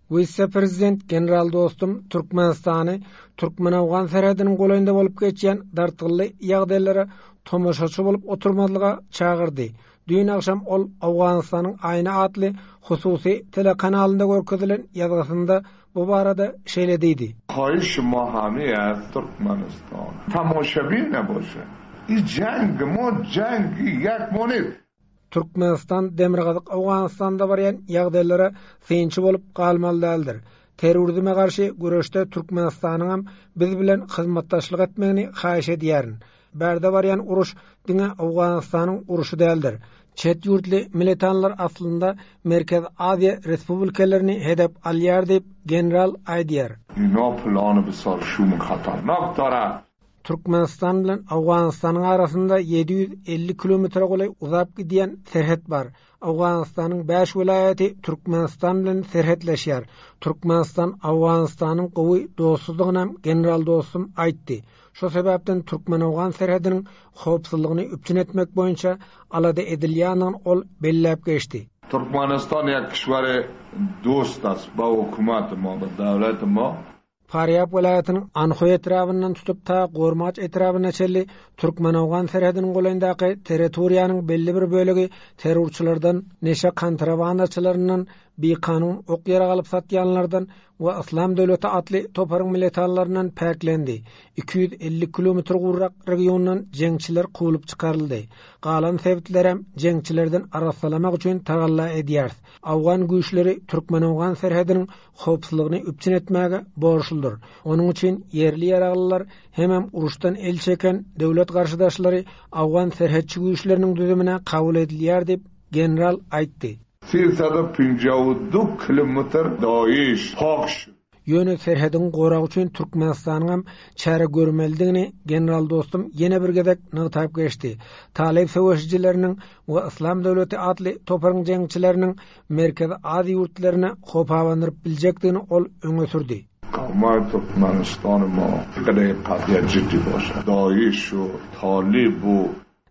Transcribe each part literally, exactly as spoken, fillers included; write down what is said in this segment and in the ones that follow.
Wise-prezident general Dostum Türkmenistany türkmen-owgan serhediniň golaýynda bolup geçýän dartgynly ýagdaýlara tomaşaçy bolup oturmazlyga çagyrdy. Düýn agşam ol Owganystanyň Aýna atly hususy telekanalynda görkezilen ýazgysynda bu barada şeýle diýdi. Haýyş ma hamy az Türkmenistan tomaşabin naboşe. I jeng ma jengi ýek ma nist. Türkmenistan Demirgazyk Owganystanda barýan ýagdaýlara synçy bolup galmaly däldir. Terrorizme garşy göreşde Türkmenistanyňam biz bilen hyzmatdaşlyk etmegini haýyş edýärin. Bärde barýan uruş diňe Owganystanyň uruşy däldir. Çet ýurtly militanlar aslynda Merkezi Aziýa respublikalaryny hedef alýar diýip general aýdýar. Ina plany besar şum hatarnak darar. Türkmenistan bilen Owganystanyň arasynda ýedi ýüz elli kilometre golaý uzap gidýän serhet bar. Owganystanyň bäş welaýaty Türkmenistan bilen serhetleşýär. Türkmenistan Owganystanyň gowy dostlugyny general Dostum aýtdy. Şo sebäpden Türkmen-Owgan serhediniň howpsuzlygyny üpjün etmek boýunça alada edilýändigini ol belläp geçdi. Türkmenistan ýek kişwere dost ast ba hukumat ma, ba döwlet ma. Farýab welaýatynyň Anhoý etrabyndan tutup ta Gormaç etrabyna çenli Türkmen-Owgan serhediniň golaýyndaky territoriýanyň belli bir bölegi terrorçylardan, neşe kontrabandaçylaryndan, bikanun ok ýarag alyp satýanlardan we Yslam döwleti atly toparyň militanlaryndan päklendi. Iki ýüz elli kilometr gurrak regiondan jeňçiler kowlup çykaryldy. Galan sebitlerem jeňçilerden arassalamak üçin tagalla edýär. Awgan güýçleri Türkmen-Owgan serhediniň howpsuzlygyny üpjün etmäge borçludyr. Onuň üçin ýerli ýaraglylar hemem uruşdan el çeken döwlet garşydaşlary Awgan serhetçi güýçleriniň düzümine kabul edilýär diýip general aýtdy. Sesada penjaw du kilometr Daesh pak şut. Ýöne serhediň goragy üçin Türkmenistanyň hem çäre görmelidigini general Dostum ýene bir gezek nygtap geçdi. Talyp söweşijileriniň we Yslam döwleti atly toparyň jeňçileriniň Merkezi Aziýa ýurtlaryna howp abandyryp biljekdigini ol öňe sürdi. Ma Türkmenistan ma gade qadiýa jiddi boşa. Daesh u Talib u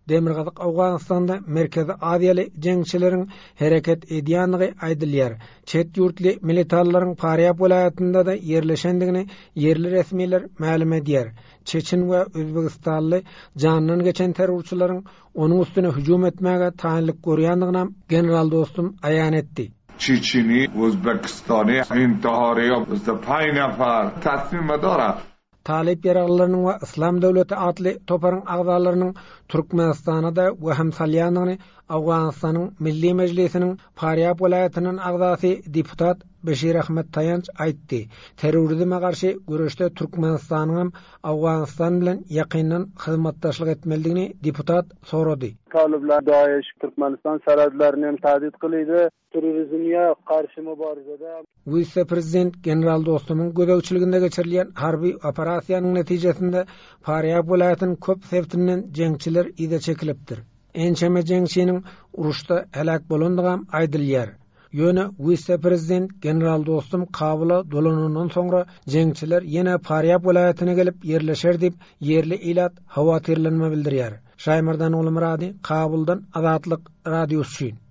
Demirgazyk Owganystanda Merkezi Aziýaly jeňçileriň hereket edýändigi aýdylýar. Çet ýurtly militanlaryň Farýab welaýatynda-da ýerleşendigini ýerli resmiler mälim edýär. Çeçen we Özbegistanly jandan geçen terrorçylaryň onuň üstüne hüjüm etmäge taýynlyk görýändigini general Dostum aýan etdi. Çeçeni, Özbegistany, intihary bizde paý nafar taslim darar. Talyp ýaraglylarynyň we Yslam döwleti atly toparyň agzalarynyň Türkmenistana-da wehim salýandygyny Owganystanyň Milli Mejlisiniň Farýab welaýatynyň agzasy deputat Beşir Ahmet Taýanç aýtdy. Terrorizme garşy göreşde Türkmenistanyň hem Owganystan bilen ýakyndan hyzmatdaşlyk etmelidigini deputat sorady. Talyplar Daesh Türkmenistan serhedlerini hem tehdit kylýdy. Terrorizmye garşy mübarizede Wise-prezident general Dostumyň gözegçiliginde geçirilýän harby operasiýanyň netijesinde Farýab welaýatynyň köp sebitinden jeňçiler yza çekilipdir. Ençeme jeňçiniň uruşda heläk bolandygam aýdylýar. Ýöne wise-prezident general Dostum Kabula dolanandan soňra jeňçiler ýene Farýab welaýatyna gelip ýerleşer diýip ýerli ilat howatyrlanma bildirýär. Şaýmardan Ogulmyrady, Kabuldan Azatlyk radiosy üçin.